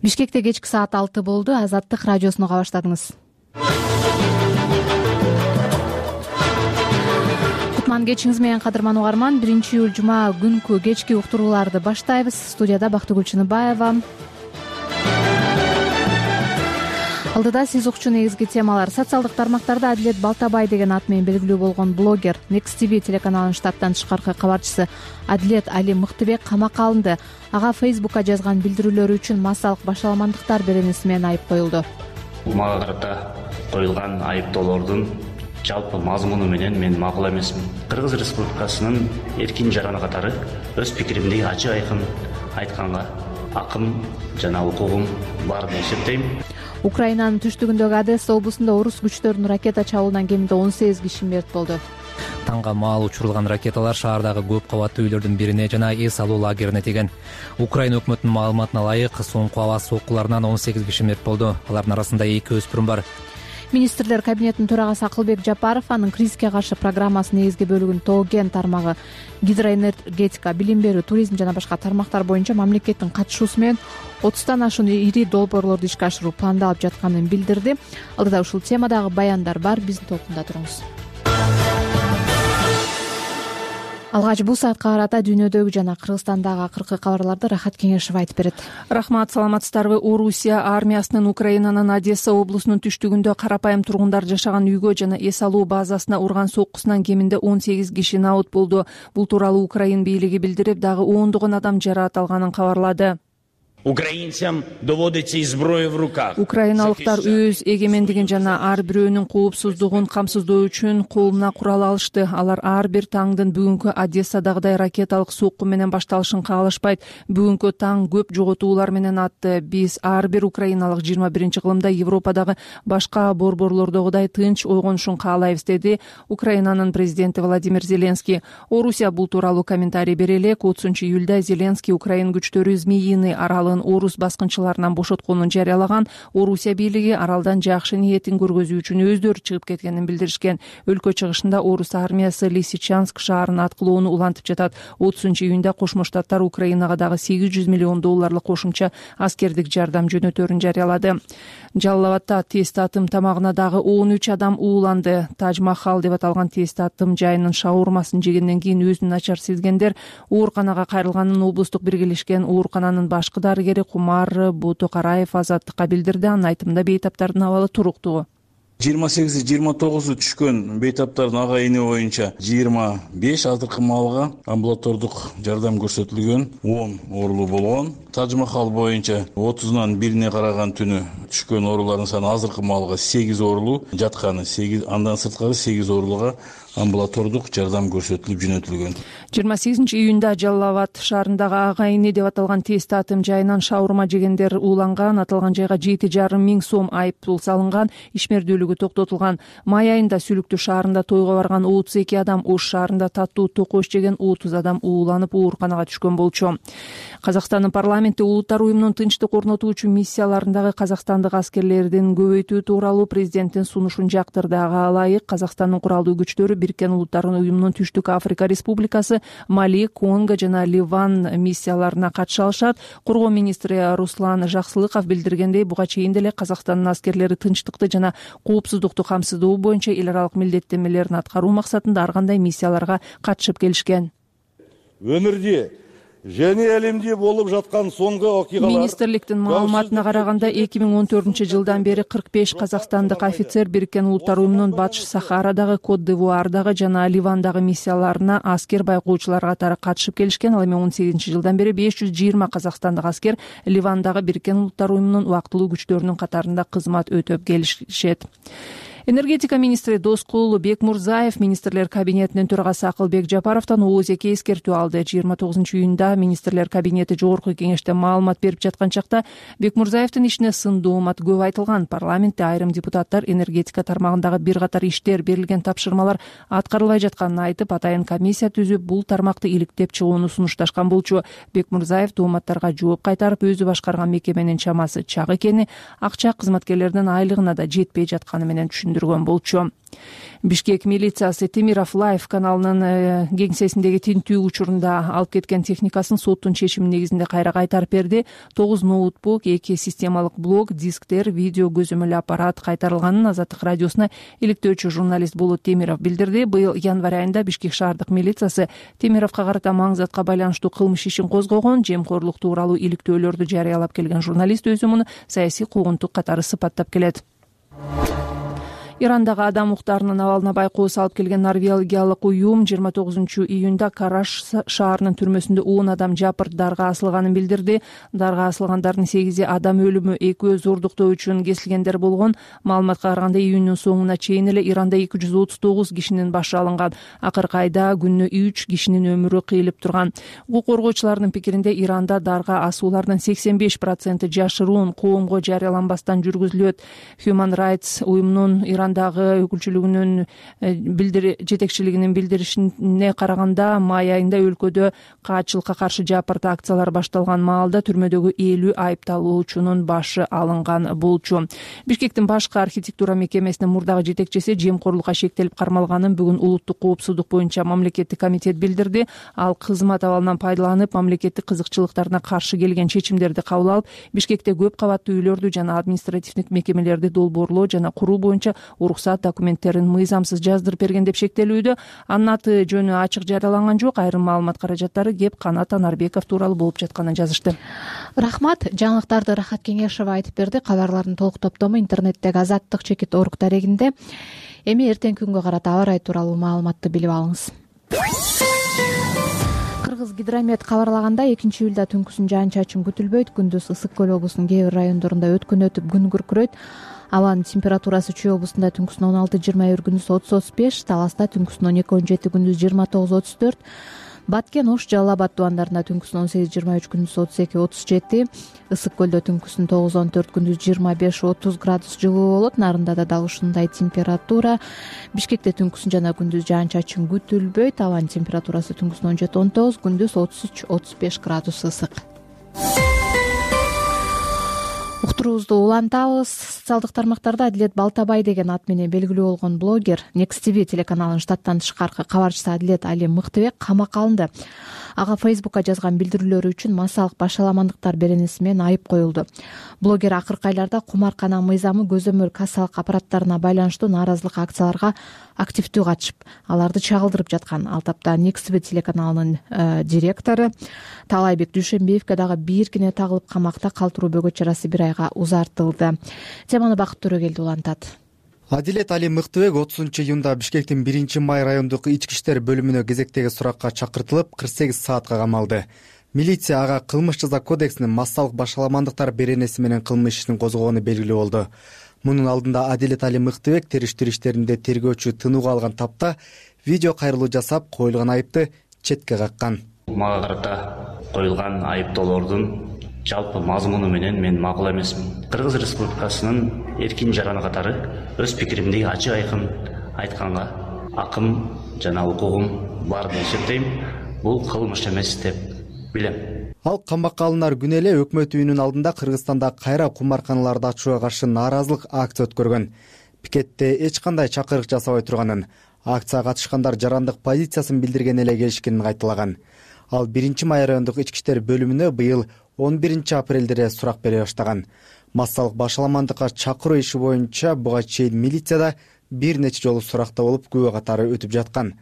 Бишкекте кечки саат 6 болду. Азаттык радиосуну уга баштадыңыз. Кутман кечиңиз менен кадырман угарман. 1-июль жума күнкү кечки уктурууларды баштайбыз. Студияда Бактыгүл Чыныбаева. Алдыда сиз укчу негизги темалар. Социалдык тармактарда Адилет Балтабай деген ат менен белгилүү болгон блогер, Next TV телеканалынын штаттан тышкаркы кабарчысы Адилет Али Мыктыбек камакка алынды. Ага Facebook'ка жазган билдирүүлөрү үчүн массалык башаламандыктар беренеси менен айып коюлду. Мага карата коюлган айыптоолордун жалпы мазмуну менен мен макул эмесмин. Кыргыз Республикасынын эркин жараны катары өз пикиримди ачык айкын айтканга акым жана укугум бар деп эсептейм. Украинанын түштүгүндөгү Одесса облусунда орус күчтөрүнүн ракета чабуулунан кеминде 18 киши мерт болду. Таңга маал учурулган ракеталар шаардагы көп кабаттуу үйлөрдүн бирине жана эс алуу лагерине тиген. Украина өкмөтүнүн маалыматына ылайык, соңку аба соккуларынан 18 киши мерт болду. Алардын арасында 2 өспүрүм бар. Министрлер кабинетинин төрагасы Акылбек Жапаров анын кризиске каршы программасынын негизги бөлүгүн Тоген тармагы, гидроэнергетика, билим берүү, туризм жана башка тармактар боюнча мамлекеттин катышуусу менен 30тан ашуун ири долбоорлорду ишке ашыруу пландалып жатканын билдирди. Алдыда ушул темадагы баяндар бар, биздин толкунда туруңуз. Алгач бул саатка карата дүйнөдөгү жана Кыргызстандагы акыркы кабарларды Рахат Кеңешев айтып берет. Рахмат, саламатсыздарбы? Орусия армиясынын Украинанын Одесса облусунун түштүгүндө карапайым тургундар жашаган үйгө жана эс алуу базасына урган соккусунан кеминде 18 киши набыт болду. Бул тууралуу Украин бийлиги билдирип, дагы ондогон адам жараат алганын кабарлады. Украинцам доводится зброя в руках. Украиналыктар өз эгемендигин жана ар бирөөнүн коопсуздугун камсыздоо үчүн колуна курал алышты. Алар ар бир таңдын бүгүнкү Одессадагыдай ракеталык сокку менен башталышын каалашпайт. Бүгүнкү таң көп жоготуулар менен атты. Биз ар бир украиналык 21-кылымда Европадагы башка борборлордогудай тынч ойгонушун каалайбыз, деди Украинанын президенти Владимир Зеленский. Орусия бул тууралуу комментарий бере элек. 30-июлда Зеленский Украин күчтөрү Змеиный аралын орус баскынчыларынан бошотконун жарыялаган. Орусия бийлиги аралдан жакшы ниетин көргөзүү үчүн өздөрү чыгып кеткенин билдиришкен. Өлкө чыгышында орус армиясы Лисичанск шаарын аткылоону улантып жатат. 30-июнда Кошмо Штаттар Украинага дагы $800 миллион кошумча аскердик жардам жөнөтөрүн жарыялады. Жалал-Абадда тест атым тамагына дагы 13 адам ууланды. Тадж-Махал деп аталган тест атым жайынын шаурмасын жегенден кийин өзүн начар сезгендер ооруканага кайрылганын облустук биргелешкен оорукананын башкы дарыгери Кумар Бутукараев Азаттыкка билдирди. Анын айтымында бейтаптардын абалы туруктуу. 28-29 түшкөн бейтаптардын агайыны боюнча 25, азыркы маалга амбулатордук жардам көрсөтүлгөн 10 оорулуу болгон. Тадж-Махал боюнча 30-нан 1-ине караган түнү түшкөн оорулардын саны азыркы маалга 8 оорулуу жатканы, 8, андан сырткары 8 оорулууга амбулатордук жардам көрсөтүлүп жөнөтүлгөн. 28-июнда Жалал-Абад шаарындагы агайыны деп аталган тест атым жайынан шаурма жегендер ууланган. Аталган жайга 7,5 миң сом айыппул салынган, ишмердүүлүгү токтотулган. Май айында Сүлүктүү шаарында тойго барган 32 адам, Ош шаарында таттуу токош жеген 30 адам ууланып ооруканага түшкөн болчу. Казакстандын парламенти Улуттар уюмунун тынчтык орнотуучу миссияларындагы казакстандык аскерлердин көбөйтүү тууралуу президенттин сунушун жактырды. Ага ылайык Казакстандын куралдуу күчтөрү Бириккен Улуттар уюмунун Түштүк Африка Республикасы, Мали, Конго жана Ливан миссияларына катыша алышат. Коргоо министри Руслан Жаксылыков билдиргендей, буга чейин деле Казакстандын аскерлери тынчтыкты жана коопсуздукту камсыздоо боюнча эл аралык милдеттенмелерин аткаруу максатында ар кандай миссияларга катышып келишкен. Өмүрдө және әлемде болып жатқан соңғы окуялар. Министрликтин маалыматына караганда 2014 жылдан бери 45 казакстандык офицер Бириккен Улуттар уюмунун Батыш Сахарадагы, Кот-д'Ивуардагы жана Ливандагы миссияларына аскер байкоочулар катары катышып келишкен. Ал эми 18 жылдан бери 520 казакстандык аскер Ливандагы Бириккен Улуттар уюмунун убактылуу күчтөрүнүн катарында кызмат өтөп келишет. Энергетика министри Доскул Бекмурзаев министрлер кабинетинин төрагасы Акылбек Жапаровдон ООЗК эскертүү алды. 29-июнда министрлер кабинети жогорку кеңеште маалымат берип жаткан чакта Бекмурзаевдин ишине сын доомат көп айтылган. Парламентте айрым депутаттар энергетика тармагындагы бир катар иштер, берилген тапшырмалар аткарылбай жатканын айтып, атайын комиссия түзүп, бул тармакты иликтеп чыгууну сунушташкан болчу. Бекмурзаев дооматтарга жооп кайтарып, өзү башкарган мекеменин чамасы чак экени, акча кызматкерлердин айлыгына да жетпей жатканы менен түшүндүрдү. түшүндүргөн болчу. Бишкек милициясы Темиров Лайф каналынын кеңсесиндеги тинтүү учурунда алып кеткен техникасын соттун чечими негизинде кайра кайтарып берди. 9 ноутбук, 2 системалык блок, дисктер, видео көзөмөл аппарат кайтарылганын Азаттык радиосуна иликтөөчү журналист Болот Темиров билдирди. Быйыл январь айында Бишкек шаардык милициясы Темировго карата маңзатка байланыштуу кылмыш ишин козгогон. Жемкорлук тууралуу иликтөөлөрдү жарыялап келген журналист өзү муну саясий куугунтук катары сыпаттап келет. Ирандагы адам укуктарынын абалына байкоо салып келген норвегиялык уюм 29-июнда Караш шаарынын түрмөсүндө 10 адам жапырт дарга асылганын билдирди. Дарга асылгандардын 8 адам өлүмү, 2 зордуктоо үчүн кесилгендер болгон. Маалыматка караганда июндун соңуна чейин эле Иранда 239 кишинин башы алынган. Акыркы айда күнүнө 3 кишинин өмүрү кыйылып турган. Укук коргоочулардын пикиринде Иранда дарга асуулардын 85% жашыруун коомго жарыяланбастан жүргүзүлөт. Human Rights уюмунун Ирандагы өкүлчүлүгүнүн жетекчилигинин билдиришине караганда, май айында өлкөдө каачылыкка каршы жапырт акциялар башталган маалда түрмөдөгү 50 айыпталуучунун башы алынган болчу. Бишкектин башкы архитектура мекемесинин мурдагы жетекчиси жемкорлукка шектелип кармалганын бүгүн улуттук коопсуздук боюнча мамлекеттик комитет билдирди. Ал кызмат абалынан пайдаланып, мамлекеттик кызыкчылыктарына каршы келген чечимдерди кабыл алып, Бишкекте көп кабаттуу үйлөрдү жана административдик мекемелерди долбоорлоо жана куруу боюнча уруксат документтерин мыйзамсыз жаздырып берген деп шектелүүдө. Анын аты жөнү ачык жарыяланган жок. Айрым маалымат каражаттары кеп Канат Анарбеков тууралуу болуп жатканын жазышты. Рахмат. Жаңылыктарды Рахат Кеңешова айтып берди. Кабарлардын толук топтому интернеттеги azаттык.org дарегинде. Эми эртеңки күнгө карата аба ырайы тууралуу маалыматты билип алыңыз. Кыргыз гидромет кабарлаганда 2-июлда түнкүсүн жаан-чачын күтүлбөйт. Күндүз Ысык көл облусунун кээ бир райондорунда өткөн өтүп күн күркүрөйт. Абанын температурасы Чүй облусунда түнкүсүн 16-21, күндүз 30-35, Таласта түнкүсүн 12-17, күндүз 29-34, Баткен, Ош, Жалал Абад тубандарында түнкүсүн 18-23, күндүз 32-37, Ысык көлдө түнкүсүн 9-14, күндүз 25-30 градус жылуу болот. Нарындада дал ушундай температура. Бишкекте түнкүсүн жана күндүз жаан-чачын күтүлбөйт. Абанын температурасы түнкүсүн 17-19, күндүз 33-35 градус ысык. Уктуруубузду улантабыз. Социалдык тармактарда Адилет Балтабай деген ат менен белгилүү болгон блогер Next TV телеканалынын штаттан тышкаркы кабарчысы Адилет Али Мыктыбек камакка алынды. Ага Фейсбукка жазган билдирүүлөрү үчүн массалык башаламандыктар беренеси менен айып коюлду. Блогер акыркы айларда кумаркана мыйзамы көзөмөл кассалык аппараттарына байланыштуу нааразылык акцияларга активдүү катышып, аларды чагылдырып жаткан. Ал тапта Next TV телеканалынын директору Талайбек Дүйшөнбиевке дагы бийиркине тагылып камакта калтыруу бөгөт чарасы 1 айга узартылды. Теманы Бакыт Төрөгелди улантат. Адилет Али Мыктыбек 30-июнда Бишкектин 1-май райондук ички иштер бөлүмүнө кезектеги суракка чакыртылып, 48 саатка камалды. Милиция ага кылмыш жаза кодексинин массалык башаламандыктар беренеси менен кылмыш ишин козгогону белгилүү болду. Мунун алдында Адилет Али Мыктыбек териштирүү иштеринде тергөөчү тынууга алган тапта видео кайрылуу жасап, коюлган айыпты четке каккан. Мага карата коюлган айыптоолордун жалпы мазмуну менен мен макул эмесмин. Кыргыз Республикасынын эркин жараны катары өз пикиримди ачык айкын айтканга акым жана укугум бар деп эсептейм. Бул кылмыш эмес деп билем. Ал камакка алынар күнү эле өкмөт үйүнүн алдында Кыргызстанда кайра кумарканаларды ачууга каршы нааразылык акция өткөргөн. Пикетте эч кандай чакырык жасабай турганын, акцияга катышкандар жарандык позициясын билдирген эле келишкенин кайталаган. Ал 1-май райондук ички иштер бөлүмүнө быйыл 11-апрелде эле сурак бере баштаган. Массалык башаламандыкка чакыруу иши боюнча буга чейин милицияда бир нече жолу суракта болуп, күбө катары өтүп жаткан.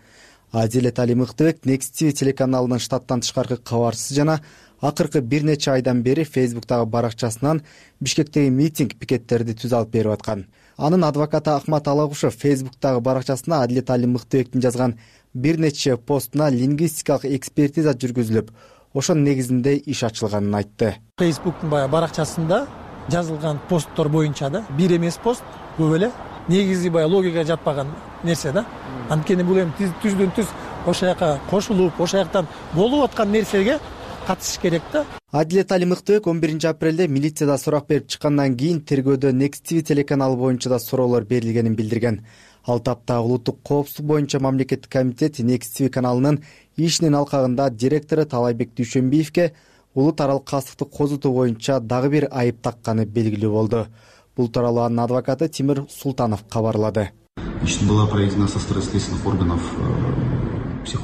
Адилет Али Мыктыбек Next TV телеканалынын штаттан тышкаркы кабарчысы жана акыркы бир нече айдан бери Фейсбуктагы баракчасынан Бишкектеги митинг пикеттерди түз алып берип аткан. Анын адвокаты Ахмат Алагушев Фейсбуктагы баракчасына Адилет Али Мыктыбектин жазган бир нече постуна лингвистикалык экспертиза жүргүзүлүп, ошонун негизинде иш ачылганын айтты. Фейсбуктун баракчасында жазылган посттор боюнча да бир эмес пост, көп эле негизи логикага жатпаган нерсе да. Анткени бул эми түздөн түз ошол жака кошулуп, ошол жактан болуп аткан нерсеге катышыш керек да. Адилет Али Мыктыбек 11-апрелде милицияда сурак берип чыккандан кийин тергөөдө Next TV телеканалы боюнча да суроолор берилгенин билдирген. Ал тапта улуттук коопсуздук боюнча мамлекеттик комитет Next TV каналынын ишинин алкагында директору Талайбек Дүйшөнбиевке улут аралык кастыкты козутуу боюнча дагы бир айып такканы белгилүү болду. Бул тууралуу анын адвокаты Тимир Султанов кабарлады. Была проведена со стороны следственных органов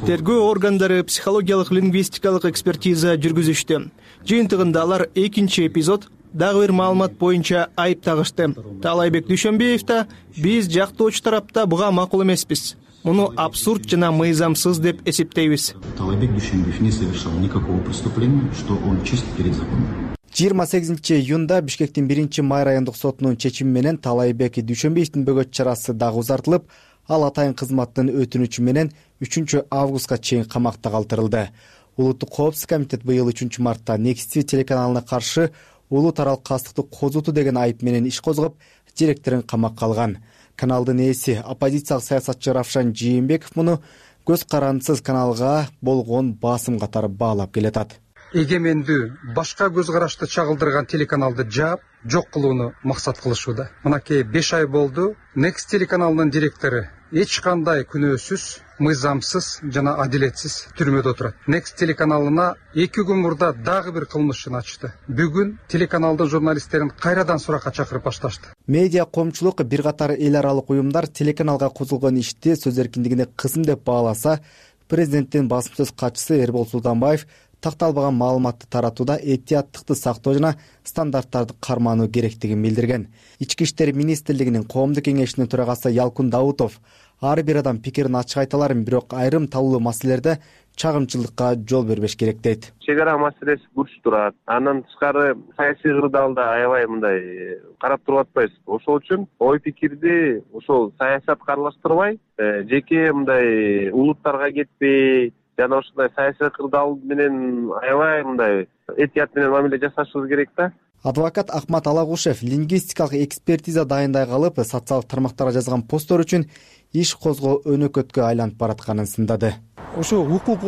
тергөө органдары психологиялык лингвистикалык экспертиза жүргүзүштү. Жыйынтыгында алар экинчи эпизод дагы бир маалымат боюнча айып тагышты. Таалайбек Дүйшөнбиев да биз жактоочу тарапта буга макул эмеспиз. Муну абсурд жана мыйзамсыз деп эсептейбиз. Таалайбек Дүйшөнбиев не совершал никакого преступления, что он чист перед законом. 28 июнда Бишкектин 1-май райондук сотунун чечими менен Таалайбек Дүйшөнбиевдин бөгөт чарасы дагы узартылып, ал атайын кызматтын өтүнүчү менен 3 августка чейин камакта калтырылды. Улуттук коопсуздук комитет быйыл 3 мартта Next телеканалына каршы улут аралык кастыкты козутуу деген айып менен иш козгоп, директорун камакка алган. Каналдын ээси оппозициялык саясатчы Равшан Жийенбеков муну көз карандысыз каналга болгон басым катары баалап келатат. Эгемендүү башка көз карашты чагылдырган телеканалды жаап, жок кылууну максат кылышууда. Мынакей 5 ай болду. Next телеканалынын директору эч кандай күнөөсүз, мыйзамсыз жана адилетсиз түрмөдө отурат. Next телеканалына 2 күн мурда дагы бир кылмышын ачты. Бүгүн телеканалдын журналисттерин кайрадан суракка чакырып башташты. Медиа коомчулук бир катар эл аралык уюмдар телеканалга козулгон ишти сөз эркиндигине кысым деп бааласа, президенттин басым сөз катчысы Эрбол Султанбаев такталбаган маалыматты таратууда этияттыкты сактоо жана стандарттарды кармануу керектигин билдирген. Ички иштер министрлигинин коомдук кеңешинин төрагасы Ялкун Даутов ар бир адам пикирин ачык айта аларын, бирок айрым талуу маселелерде чагымчылыкка жол бербеш керек дейт. Чек ара маселеси бурч турат. Андан тышкары саясий кырдаалда аябай мындай карап туруп атпайбыз. Ошол үчүн ой пикирди ошол саясатка аралаштырбай, жеке мындай улуттарга кетпей, жана ушундай саясий кырдаал менен аябай мындай этият менен мамиле жасашыбыз керек да. Адвокат Ахмат Алагушев лингвистикалык экспертиза дайындай калып, социалдык тармактарга жазган посттор үчүн иш козгоо өнөкөткө айланып баратканын сындады. Ушу укук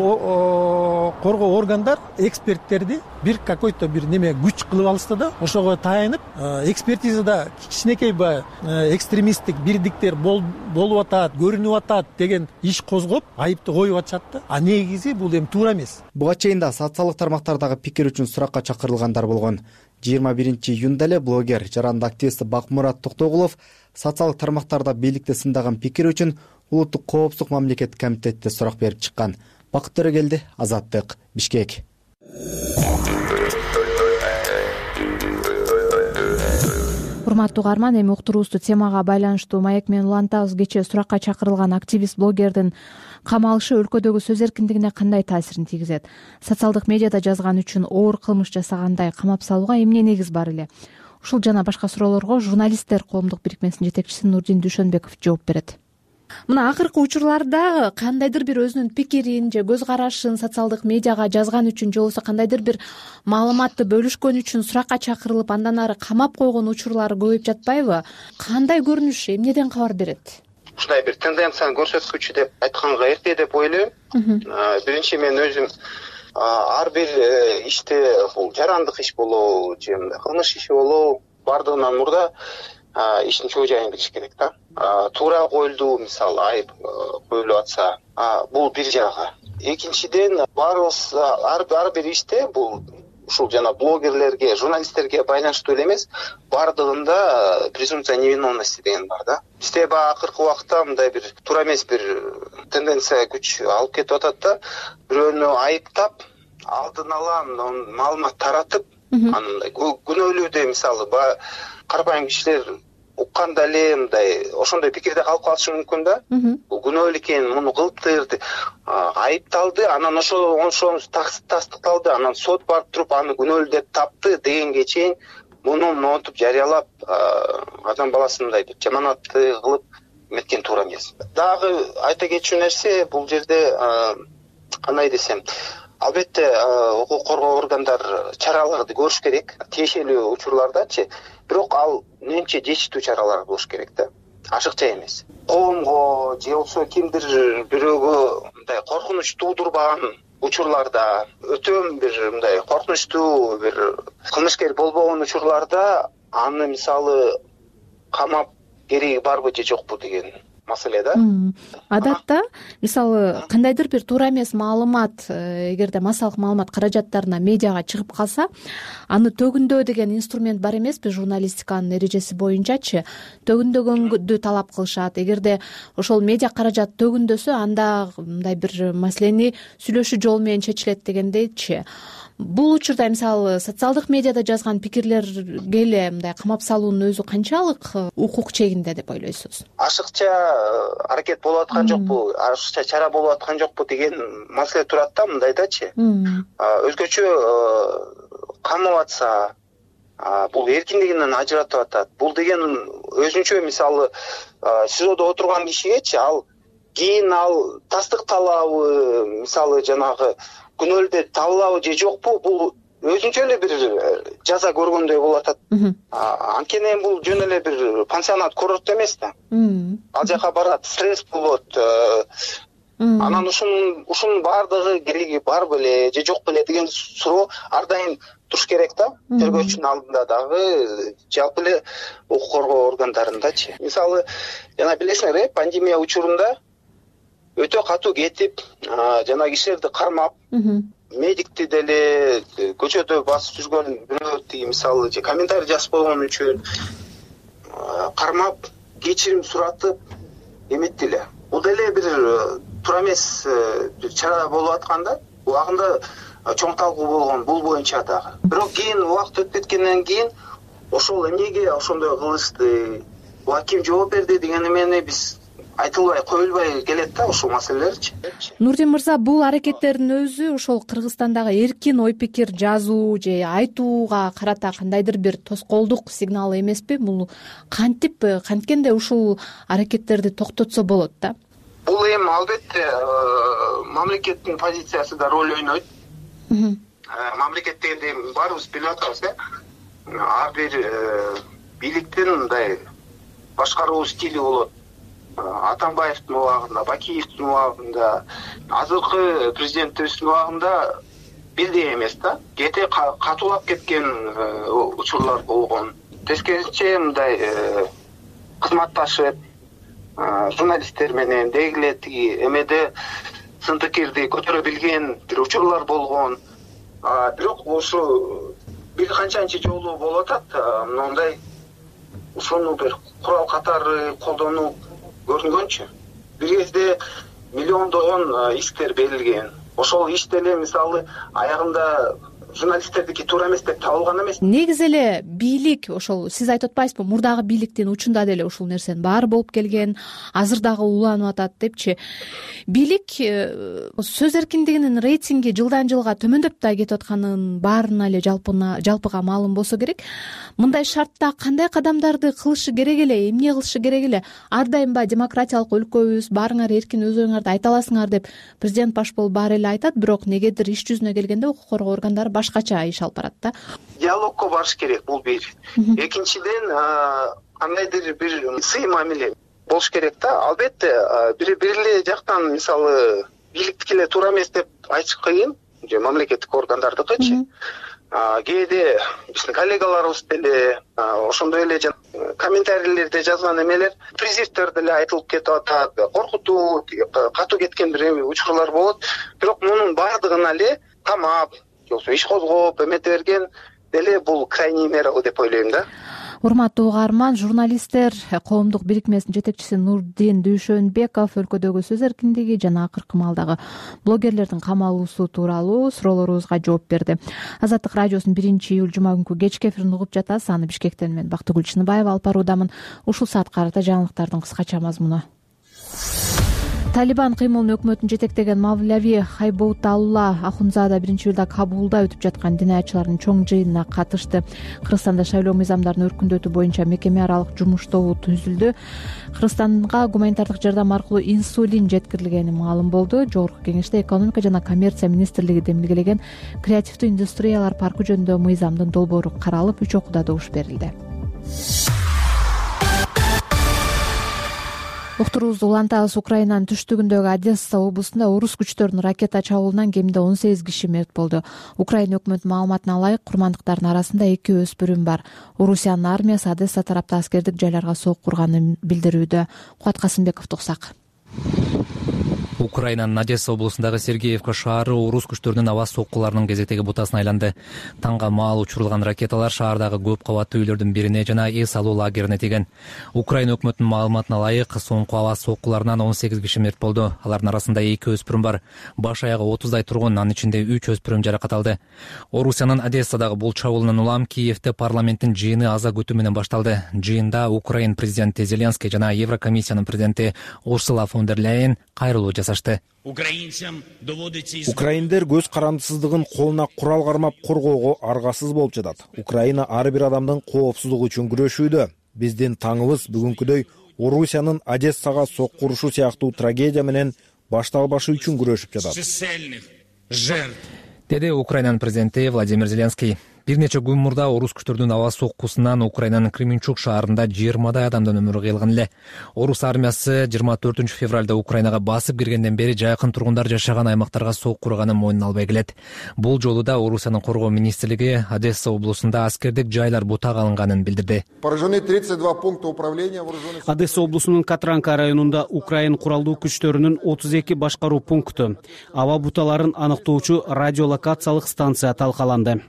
коргоо органдар эксперттерди бир какой-то бир неме күч кылып алышты да, ошого таянып, экспертизада кичинекей экстремисттик бирдиктер болуп атат, көрүнүп атат деген иш козгоп, айыпты коюп атышат да. А негизи бул эми туура эмес. Буга чейин да социалдык тармактардагы пикир үчүн суракка чакырылгандар болгон. 21 июнда эле блогер, жарандык активист Бакмурат Токтогулов социалдык тармактарда бийликти сындаган пикир үчүн улуттук коопсуздук мамлекеттик комитетте сурак берип чыккан. Бакыт Төрөгелди, Азаттык, Бишкек. Урматтуу угарман, эми уктуруубузду темага байланыштуу маек менен улантабыз. Кечээ суракка чакырылган активист блогердин камалышы өлкөдөгү сөз эркиндигине кандай таасирин тийгизет? Социалдык медиада жазган үчүн оор кылмыш жасагандай камап салууга эмне негиз бар эле? Ушул жана башка суроолорго журналисттер коомдук бирикмесинин жетекчиси Нурдин Дүйшөнбеков жооп берет. Мына акыркы учурларда кандайдыр бир өзүнүн пикирин же көз карашын социалдык медиага жазган үчүн же болбосо кандайдыр бир маалыматты бөлүшкөн үчүн суракка чакырылып, андан ары камап койгон учурлар көбөйүп жатпайбы? Кандай көрүнүш, эмнеден кабар берет? Ушундай бир тенденцияны көрсөткүчү деп айтканга эрте деп ойлойм. Биринчи мен өзүм ар бир иште, бул жарандык иш болобу же кылмыш иши болобу, бардыгынан мурда иштин чоо жайын билиш керек да. Туура коюлду, мисалы айып коюлуп атса, бул бир жагы. Экинчиден, баарыбыз ар бир иште бул ушул жана блогерлерге, журналисттерге байланыштуу эле эмес, бардыгында презумпция невиновности деген бар да. Бизде акыркы убакта мындай бир туура эмес бир тенденция күч алып кетип атат да. Бирөөнү айыптап, алдын ала маалымат таратып, андай күнөөлүүдө мисалы карапайым кишилер укканда эле мындай ошондой пикирде калып калышы мүмкүн да. Бул күнөөлүү экен, муну кылыптыр, айыпталды, анан ошо тастыкталды, анан сот барып туруп аны күнөөлүү деп тапты дегенге чейин муну монтуп жарыялап, адам баласын мындай жаманатты кылып эметкен туура эмес. Дагы айта кетчү нерсе, бул жерде кандай десем, албетте укук коргоо органдар чараларды көрүш керек, тиешелүү учурлардачы. Бирок ал менче жечитүү чаралар болуш керек да. Ашыкча эмес. Коомго же болбосо кимдир бирөөгө мындай коркунуч туудурбаган учурларда, өтө бир мындай коркунучтуу бир кылмышкер болбогон учурларда аны мисалы камап кереги барбы же жокпу деген маселе да. Адатта мисалы кандайдыр бир туура эмес маалымат, эгерде массалык маалымат каражаттарына медиага чыгып калса, аны төгүндөө деген инструмент бар эмеспи журналистиканын эрежеси боюнчачы? Төгүндөгөндү талап кылышат. Эгерде ошол медиа каражат төгүндөсө, анда мындай бир маселени сүйлөшүү жолу менен чечилет дегендейчи. Бул учурда мисалы социалдык медиада жазган пикирлерге эле мындай камап салуунун өзү канчалык укук чегинде деп ойлойсуз? Ашыкча аракет болуп аткан жокпу, ашыкча чара болуп аткан жокпу деген маселе турат да, мындайдачы. Өзгөчө камап атса, бул эркиндигинен ажыратып атат. Бул деген өзүнчө мисалы СИЗОдо отурган кишигечи ал кийин ал тастыкталабы, мисалы жанагы күнөөлдө табылабы же жокпу, бул өзүнчө эле бир жаза көргөндөй болуп атат. Анткени бул жөн эле бир пансионат, курорт эмес да. Ал жака барат, стресс болот. Анан ушунун баардыгы кереги бар беле же жок беле деген суроо ар дайым туруш керек да. Тергөөчүнүн алдында дагы, жалпы эле укук коргоо органдарындачы. Мисалы, жана билесиңер, пандемия учурунда өтө катуу кетип, жана кишилерди кармап, медикти деле көчөдө басып жүргөн бирөө тиги мисалы же комментарий жазып койгон үчүн кармап, кечирим суратып эметти эле. Бул деле бир туура эмес чара болуп атканда, убагында чоң талкуу болгон бул боюнча дагы. Бирок кийин убакыт өтүп кеткенден кийин ошол эмнеге ошондой кылышты, буга ким жооп берди деген эмени биз айтылбай, коюлбай келет да ушул маселелерчи. Нурдин мырза, бул аракеттердин өзү ошол Кыргызстандагы эркин ой пикир жазуу же айтууга карата кандайдыр бир тоскоолдук сигналы эмеспи? Бул канткенде ушул аракеттерди токтотсо болот да? Бул эми албетте мамлекеттин позициясы да роль ойнойт. Мамлекет дегенде баарыбыз билип атабыз, ар бир бийликтин мындай башкаруу стили болот. Атамбаевдин убагында, Бакиевдин убагында, азыркы президентибиздин убагында бирдей эмес да. Кете катуулап кеткен учурлар болгон. Тескерисинче мындай кызматташып, журналисттер менен дегиле тиги эмеде сын пикирди көтөрө билген бир учурлар болгон. Бирок ошо бир канчанчы жолу болуп атат, мындай ушуну бир курал катары колдонуу көрүнгөнчү. Бир кезде миллиондогон исктер берилген. Ошол иш деле мисалы аягында журналисттердики туура эмес деп табылган эмес. Негизи эле бийлик, ошол сиз айтып атпайсызбы, мурдагы бийликтин учунда деле ушул нерсенин баары болуп келген, азыр дагы уланып атат депчи. Бийлик сөз эркиндигинин рейтинги жылдан жылга төмөндөп да кетип атканын баарына эле жалпыга маалым болсо керек. Мындай шартта кандай кадамдарды кылышы керек эле, эмне кылышы керек эле? Ар дайым демократиялык өлкөбүз, баарыңар эркин өз оюңарды айта аласыңар деп президент баш болуп баары эле айтат, бирок негедир иш жүзүнө келгенде укук коргоо органдары башкача иш алып барат да. Диалогко барыш керек, бул бир. Экинчиден, кандайдыр бир сый мамиле болуш керек да. Албетте, бир эле жактан мисалы бийликтики эле туура эмес деп айтыш кыйын, же мамлекеттик органдардыкычы. Кээде биздин коллегаларыбыз деле ошондой эле комментарийлерде жазган эмелер, призивдер деле айтылып кетип атат, коркутуу, катуу кеткен бир учурлар болот. Бирок мунун баардыгына эле камап, жоксо иш козгоп эмете берген деле бул крайний мера деп ойлойм да. Урматтуу угарман, журналисттер коомдук бирикмесинин жетекчиси Нурдин Дүйшөнбеков өлкөдөгү сөз эркиндиги жана акыркы маалдагы блогерлердин камалуусу тууралуу суроолорубузга жооп берди. Азаттык радиосунун 1-июль жума күнкү кечки эфирин угуп жатасыз. Аны Бишкектен мен Бактыгүл Чыныбаева алып баруудамын. Ушул саатка карата жаңылыктардын кыскача мазмуну. Талибан кыймылын өкмөтүн жетектеген Мавлави Хайбоуталла Ахунзада 1-июлда Кабулда өтүп жаткан дин аятчылардын чоң жыйынына катышты. Кыргызстанда шайлоо мыйзамдарын өркүндөтүү боюнча мекеме аралык жумуш тобу түзүлдү. Кыргызстанга гуманитардык жардам аркылуу инсулин жеткирилгени маалым болду. Жогорку кеңеште экономика жана коммерция министрлиги демилгелеген креативдүү индустриялар паркы жөнүндө мыйзамдын долбоору каралып, 3 окууда добуш берилди. Уктуруубузду улантабыз. Украинанын түштүгүндөгү Одесса облусунда орус күчтөрүнүн ракета чабуулунан кеминде 18 киши мерт болду. Украина өкмөтүнүн маалыматына ылайык, курмандыктардын арасында 2 өспүрүм бар. Орусиянын армиясы Одесса тарапта аскердик жайларга сок курганын билдирүүдө. Кубат Касымбеков токсак. Украинанын Одесса облусундагы Сергеевка шаары орус күчтөрүнүн аба соккуларынын кезектеги бутасына айланды. Таңга маал учурулган ракеталар шаардагы көп кабаттуу үйлөрдүн бирине жана эс алуу лагерине тийген. Украина өкмөтүнүн маалыматына ылайык, соңку аба соккуларынан 18 киши мерт болду. Алардын арасында 2 өспүрүм бар. Баш аягы 30дай тургун, анын ичинде 3 өспүрүм жаракат алды. Орусиянын Одессадагы бул чабуулунан улам Киевде парламенттин жыйыны аза күтүү менен башталды. Жыйында Украин президенти Зеленский жана Еврокомиссиянын президенти Урсула фон дер Ляйен кайрылуу жасашты. Украиндер көз карандысыздыгын колуна курал кармап коргоого аргасыз болуп жатат. Украина ар бир адамдын коопсуздугу үчүн күрөшүүдө. Биздин таңыбыз бүгүнкүдөй Орусиянын Одессага сокку урушу сыяктуу трагедия менен башталбашы үчүн күрөшүп жатат, деди Украинанын президенти Владимир Зеленский. Бир нече күн мурда орус күчтөрүнүн аба соккусунан Украинанын Кременчуг шаарында 20дай адамдын өмүрү кыйылган эле. Орус армиясы 24 февралда Украинага басып киргенден бери жакын тургундар жашаган аймактарга сок курганын мойнуна албай келет. Бул жолу да Орусиянын коргоо министрлиги Одесса облусунда аскердик жайлар бутага алынганын билдирди. Одесса облусунун Катранка районунда Украин куралдуу күчтөрүнүн 32 башкаруу пункту, аба буталарын аныктоочу радиолокациялык станция талкаланды,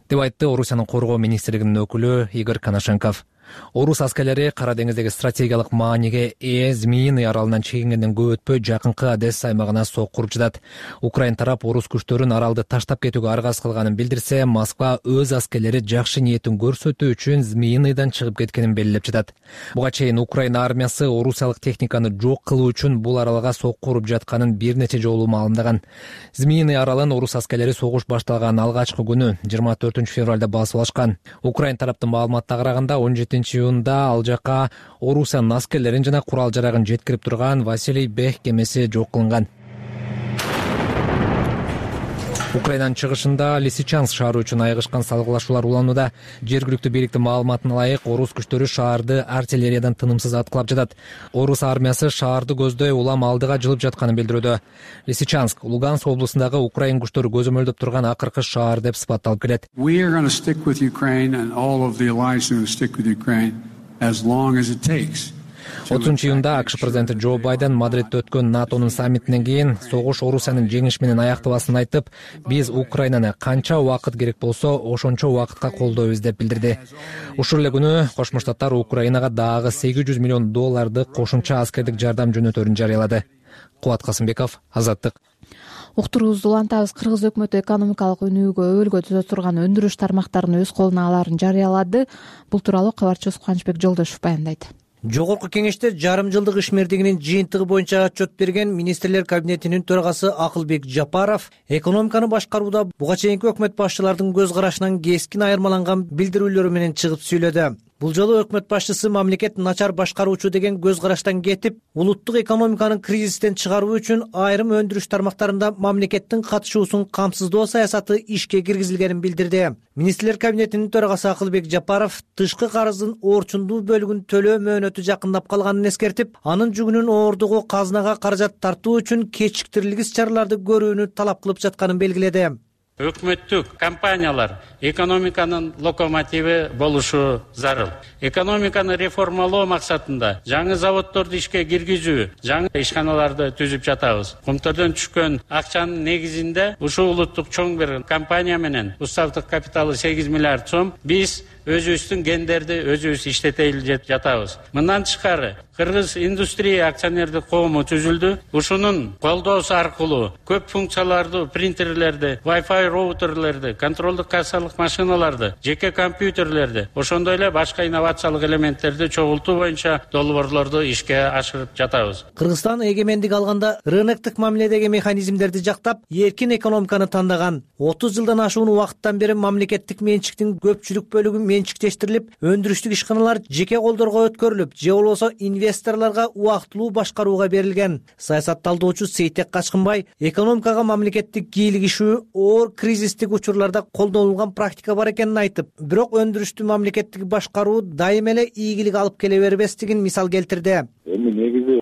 деп айтты Орусиянын коргоо министрлигинин өкүлү Игорь Коношенков. Орус аскерлери Кара деңиздеги стратегиялык мааниге ээ Змеиный аралынан чегингенден көп өтпөй жакынкы Одесса аймагына сок куруп жатат. Украин тарап орус күчтөрүн аралды таштап кетүүгө аргасыз кылганын билдирсе, Москва өз аскерлери жакшы ниетин көрсөтүү үчүн Змеиныйдан чыгып кеткенин белгилеп жатат. Буга чейин Украина армиясы орусиялык техниканы жок кылуу үчүн бул аралга сок куруп жатканын бир нече жолу маалымдаган. Змеиный аралын орус аскерлери согуш башталган алгачкы күнү 24 февралда басып алышкан. Украин тараптын маалыматына караганда 17 июнда ал жака Орусиянын аскерлерин жана курал жарагын жеткирип турган Василий Бех кемеси жок кылынган. Украинанын чыгышында Лисичанск шаары үчүн айыгышкан салгылашуулар уланууда. Жергиликтүү бийликтин маалыматына ылайык, орус күчтөрү шаарды артиллериядан тынымсыз аткылап жатат. Орус армиясы шаарды көздөй улам алдыга жылып жатканын билдирүүдө. Лисичанск Луганск облусундагы Украин күчтөрү көзөмөлдөп турган акыркы шаар деп сыпатталып келет. 30 июнда АКШ президенти Джо Байден Мадридде өткөн НАТОнун саммитинен кийин согуш Орусиянын жеңиш менен аякталасын айтып, биз Украинаны канча убакыт керек болсо, ошончо убакытка колдойбуз деп билдирди. Ушул эле күнү Кошмо Штаттар Украинага дагы $800 миллион кошумча аскердик жардам жөнөтөрүн жарыялады. Кубат Касымбеков, Азаттык. Уктуруубузду улантабыз. Кыргыз өкмөтү экономикалык өнүгүүгө өбөлгө түзө турган өндүрүш тармактарын өз колуна алаарын жарыялады. Бул тууралуу кабарчыбыз Кубанычбек Жолдошов баяндайт. Жогорку кеңеште жарым жылдык ишмердигинин жыйынтыгы боюнча отчет берген министрлер кабинетинин төрагасы Акылбек Жапаров экономиканы башкарууда буга чейинки өкмөт башчылардын көз карашынан кескин айырмаланган билдирүүлөрү менен чыгып сүйлөдү. Бул жолу өкмөт башчысы мамлекет начар башкаруучу деген көз караштан кетип, улуттук экономиканын кризистен чыгаруу үчүн айрым өндүрүш тармактарында мамлекеттин катышуусун камсыздоо саясаты ишке киргизилгенин билдирди. Министрлер кабинетинин төрагасы Акылбек Жапаров тышкы карыздын орчундуу бөлүгүн төлөө мөөнөтү жакындап калганын эскертип, анын жүгүнүн оордугу казынага каражат тартуу үчүн кечиктирилгис чараларды көрүүнү талап кылып жатканын белгиледи. Өкмөттүк компаниялар экономиканын локомотиви болушу зарыл. Экономиканы реформалоо максатында жаңы заводдорду ишке киргизүү, жаңы ишканаларды түзүп жатабыз. Кумтөрдөн түшкөн акчанын негизинде ушул улуттук чоң бир компания менен уставдык капиталы 8 миллиард сом биз өзүбүздүн гендерди өзүбүз иштете жатабыз. Мындан тышкары Кыргыз индустрия акционердик коому түзүлдү. Ушунун колдоосу аркылуу көп функциялардуу принтерлерди, Wi-Fi роутерлерди, контролдук кассалык машиналарды, жеке компьютерлерди, ошондой эле башка инновациялык элементтерди чогултуу боюнча долбоорлорду ишке ашырып жатабыз. Кыргызстан эгемендик алганда рыноктук мамиледеги механизмдерди жактап, эркин экономиканы тандаган. 30 жылдан ашуун убакыттан бери мамлекеттик менчиктин көпчүлүк бөлүгү менчиктештирилип, өндүрүштүк ишканалар жеке колдорго өткөрүлүп, же болбосо инвесторлорго убактылуу башкарууга берилген. Саясатталдоочу Сейтек Качкынбай экономикага мамлекеттик кийлигишүү оор кризистик учурларда колдонулган практика бар экенин айтып, бирок өндүрүштү мамлекеттик башкаруу дайыма эле ийгилик алып келе бербестигин мисал келтирди. Эми негизи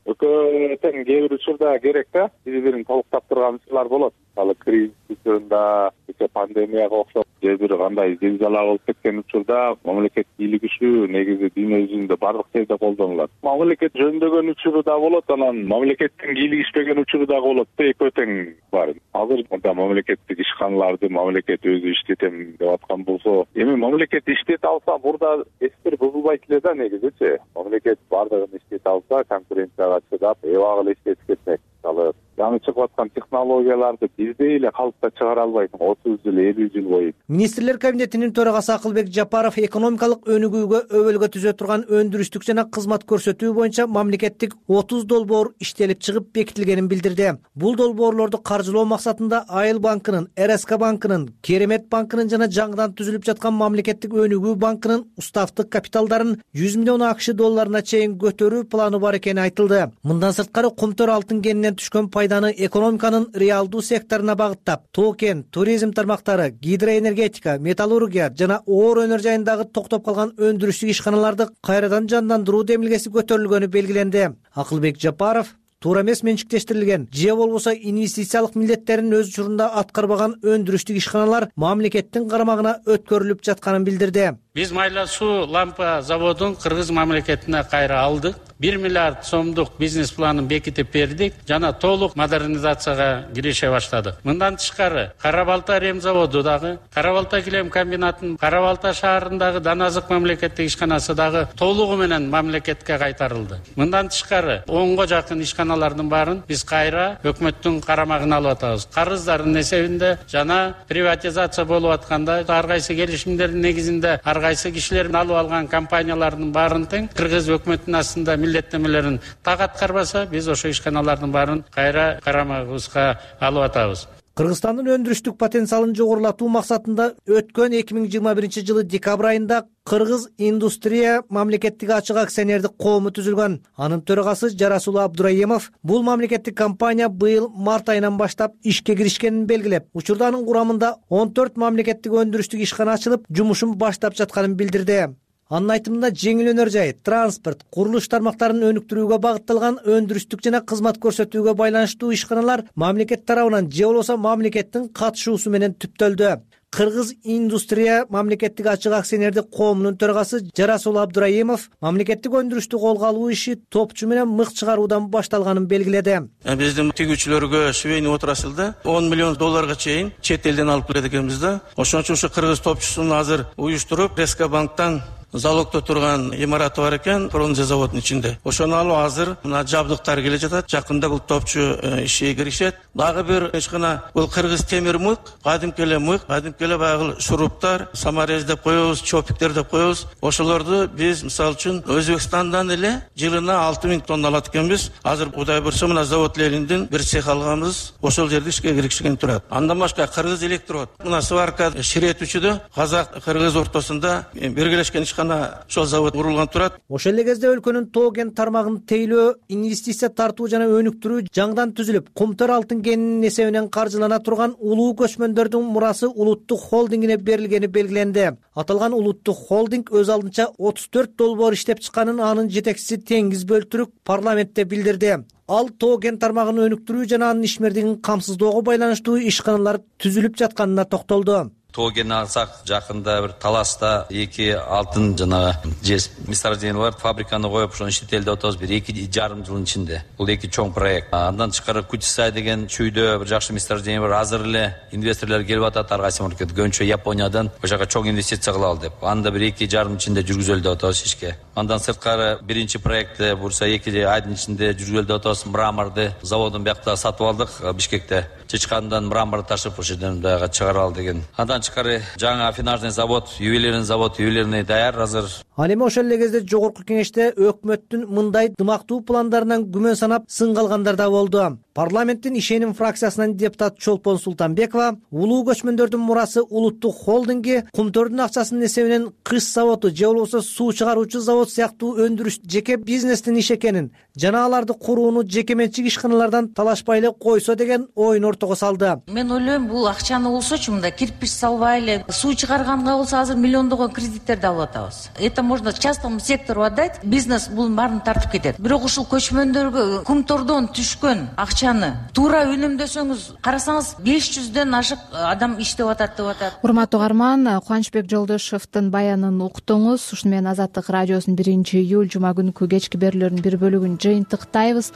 тең кээ бир учурда керек да, бири бирин толуктап турган учурлар болот. Мисалы кризис учурунда, пандемияга окшоп, же бир кандай зилзала болуп кеткен учурда мамлекет бийлигиши негизи дүйнө жүзүндө бардык жерде колдонулат. Мамлекет жөндөгөн учуру да болот, анан мамлекеттин бийлигишпеген учуру да болот да, экөө тең бар. Азыр мында мамлекеттик ишканаларды мамлекет өзү иштетем деп аткан болсо, эми мамлекет иштете алса, мурда эстер бузулбайт эле да негизичи. Мамлекет бардыгын иштете алса, конкуренцияга чыдап, эбак эле иштетип кетмек. Мисалы, жаңы чыгып аткан технологияларды бизде эле калыпта чыгара албайсың 30 жыл, 50 жыл бою. Министрлер кабинетинин төрагасы Акылбек Жапаров экономикалык өнүгүүгө өбөлгө түзө турган өндүрүштүк жана кызмат көрсөтүү боюнча мамлекеттик 30 долбоор иштелип чыгып бекитилгенин билдирди. Бул долбоорлорду каржылоо максатында Айыл банкынын, РСК банкынын, Керемет банкынын жана жаңыдан түзүлүп жаткан мамлекеттик өнүгүү банкынын уставдык капиталдарын 100 миллион АКШ долларына чейин көтөрүү планы бар экени айтылды. Мындан сырткары кумтөр алтын кенинен түшкөн пайданы экономиканын реалдуу секторуна багыттап, тоо-кен, туризм тармактары, гидроэнергетика, металлургия жана оор өнөр жайындагы токтоп калган өндүрүштүк ишканаларды кайрадан жандандыруу демилгеси көтөрүлгөнү белгиленди. Акылбек Жапаров туура эмес менчиктештирилген же болбосо инвестициялык милдеттерин өз учурунда аткарбаган өндүрүштүк ишканалар мамлекеттин карамагына өткөрүлүп жатканын билдирди. Биз майла суу лампа заводун Кыргыз мамлекетине кайра алдык. 1 миллиард сомдук бизнес планын бекитип бердик жана толук модернизацияга кирише баштадык. Мындан тышкары Кара Балта рем заводу дагы, Кара Балта килем комбинатынын Кара Балта шаарындагы Даназык мамлекеттик ишканасы дагы толугу менен мамлекетке кайтарылды. Мындан тышкары 10го жакын ишканалардын баарын биз кайра өкмөттүн карамагына алып атабыз. Карыздардын эсебинде жана приватизация болуп атканда ар кайсы келишимдердин негизинде ар кайсы кишилердин алып алган компаниялардын баарын тең Кыргыз өкмөтүнүн астында милдеттенмелерин так аткарбаса, биз ошо ишканалардын баарын кайра карамагыбызга алып атабыз. Кыргызстандын өндүрүштүк потенциалын жогорулатуу максатында өткөн 2021 жылы декабрь айында Кыргыз индустрия мамлекеттик ачык акционердик коому түзүлгөн. Анын төрагасы Жарасул Абдураимов бул мамлекеттик компания быйыл март айынан баштап ишке киришкенин белгилеп, учурда анын курамында 14 мамлекеттик өндүрүштүк ишкана ачылып, жумушун баштап жатканын билдирди. Анын айтымында жеңил өнөр жай, транспорт, курулуш тармактарын өнүктүрүүгө багытталган өндүрүштүк жана кызмат көрсөтүүгө байланыштуу ишканалар мамлекет тарабынан же болбосо мамлекеттин катышуусу менен түптөлдү. Кыргыз индустрия мамлекеттик ачык акционердик коомунун төрагасы Жарасул Абдураимов мамлекеттик өндүрүштү колго алуу иши топчу менен мык чыгаруудан башталганын белгиледи. Биздин тигүүчүлөргө швейный отраслда 10 миллион долларга чейин чет элден алып келет экенбиз да. Ошон үчүн ушу кыргыз топчусун азыр уюштуруп, РСК банктан залогдо турган имараты бар экен, бронза заводунун ичинде. Ошону алып азыр мына жабдыктар келе жатат. Жакында бул топчу иши киришет. Дагы бир ишкана бул кыргыз темир мык, кадимки эле баягы шуруптар, саморез деп коебуз, чопиктер деп коебуз. Ошолорду биз мисалы үчүн Өзбекстандан эле жылына 6000 тонна алат экенбиз. Азыр Кудай бурса мына завод Лениндин бир цех алганбыз. Ошол жерде ишке киришкен турат. Андан башка кыргыз электрод, мына сварка ширетүүчүдө казак кыргыз ортосунда биргелешкен ишкана ошол завод курулган турат. Ошол эле кезде өлкөнүн тоо-кен тармагын тейлөө, инвестиция тартуу жана өнүктүрүү жаңыдан түзүлүп, кумтөр алтын кенинин эсебинен каржылана турган улуу көчмөндөрдүн мурасы улуттук холдингине берилгени белгиленди. Аталган улуттук холдинг өз алдынча 34 долбоор иштеп чыкканын анын жетекчиси Теңиз Бөлтүрүк парламентте билдирди. Ал тоо-кен тармагын өнүктүрүү жана анын ишмердигин камсыздоого байланыштуу ишканалар түзүлүп жатканына токтолду. Тоо-кен алсак, жакында бир Таласта 2 алтын жана жез месторождение бар, фабриканы коюп, ошону иштетели деп атабыз, бир 2,5 жылдын ичинде. Бул 2 чоң проект. Андан тышкары Кутисай деген чүйдө бир жакшы месторождение бар. Азыр эле инвесторлор келип атат, ар кайсы мамлекет, көбүнчө Япониядан ошол жака чоң инвестиция кылалы деп. Анда бир 2,5 жылдын ичинде жүргүзөлү деп атабыз ишке. Андан сырткары биринчи проектти бурса 2 айдын ичинде жүргүзөлү деп атабыз. Мраморду заводун биякта сатып алдык, Бишкекте. Чычкандан мрамор ташып ошол жерден дагы чыгаралы деген. Андан тышкары жаңы афинажный завод, ювелирный даяр азыр. Ал эми ошол эле кезде жогорку кеңеште өкмөттүн мындай дымактуу пландарынан күмөн санап сынгалгандар да болду. Парламенттин ишеним фракциясынан депутат Чолпон Султанбекова улуу көчмөндөрдүн мурасы улуттук холдинги кумтөрдүн акчасынын эсебинен кыш заводу же болбосо суу чыгаруучу завод сыяктуу өндүрүш жеке бизнестин иши экенин жана аларды курууну жеке менчик ишканалардан талашпай эле койсо деген оюн ортого салды. Мен ойлойм, бул акчаны болсочу мында кирпич завод албай эле суу чыгарганга болсо азыр миллиондогон кредиттерди алып атабыз. Это можно частному сектору отдать, бизнес бунун баарын тартып кетет. Бирок ушул көчмөндөргө кумтордон түшкөн акчаны туура үнөмдөсөңүз карасаңыз 500дөн ашык адам иштеп атат деп атат. Урматтуу угарман, Кубанычбек Жолдошовдун баянын уктуңуз. Ушуну менен Азаттык радиосунун 1-июль жума күнкү кечки берүүлөрүнүн бир бөлүгүн жыйынтыктайбыз.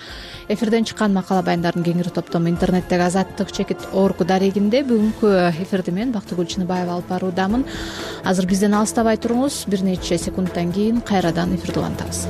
Эфирден чыккан макала баяндардын кеңири топтому интернеттеги Азаттык дарегинде. Бүгүнкү эфирди мен Бактыгүл Чыныбаева алып баруудамын. Азыр бизден алыстабай туруңуз. Бир нече секундтан кийин кайрадан эфирди улантабыз.